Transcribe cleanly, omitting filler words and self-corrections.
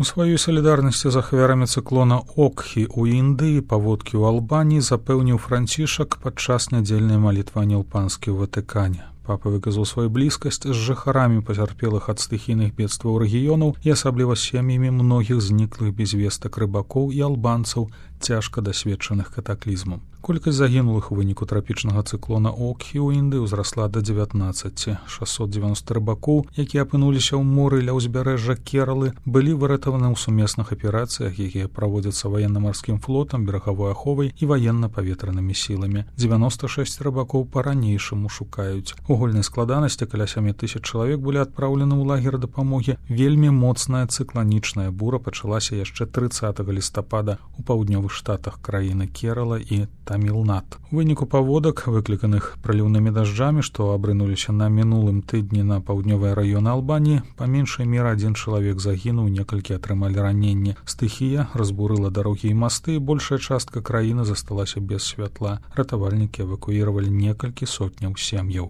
У сваёй салідарнасці з ахвярамі цыклона Окхі ў Індыі паводкі ў Албаніі запэўніў Францішак падчас нядзельнай малітвы Ангел-Панскі ў Ватыкане. Папа выказаў сваю блізкасць з жыхарамі пацярпелых ад стыхійных бедстваў рэгіёнаў і асабліва сем'ямі многіх зніклых без вестак рыбакоў і албанцаў, цяжка дасведчаных катаклізмам. Колькасць загінулых у выніку трапічнага цыклона Окхі ў Індыі ўзрасла да 19. 690 рыбакоў, якія апынуліся ў моры ля ўзбярэжжа Кералы, былі выратаваны ў сумесных аперацыях, якія праводзяцца ваенна-марскім флотам, берагавой аховай і ваенна-паветранымі сіламі. 96 рыбакоў па-ранейшаму шукаюць. У гульнай складанасці каля 7000 чалавек былі адпраўлены ў лагер дапамогі. Вельмі моцная цыкланічная бура пачалася яшчэ 30 лістапада у паўднёвых штатах краіны Керала і Тамілнад. У выніку паводак, выкліканых праліўнымі дажджамі, што абрынуліся на мінулым тыдні на паўднёвыя раёны Албаніі, па меншай меры 1 чалавек загінуў, некалькі атрымалі раненні. Стыхія разбурыла дарогі і масты, і большая частка краіны засталася без святла. Ратавальнікі эвакуіравалі некалькі сотняў сем'яў.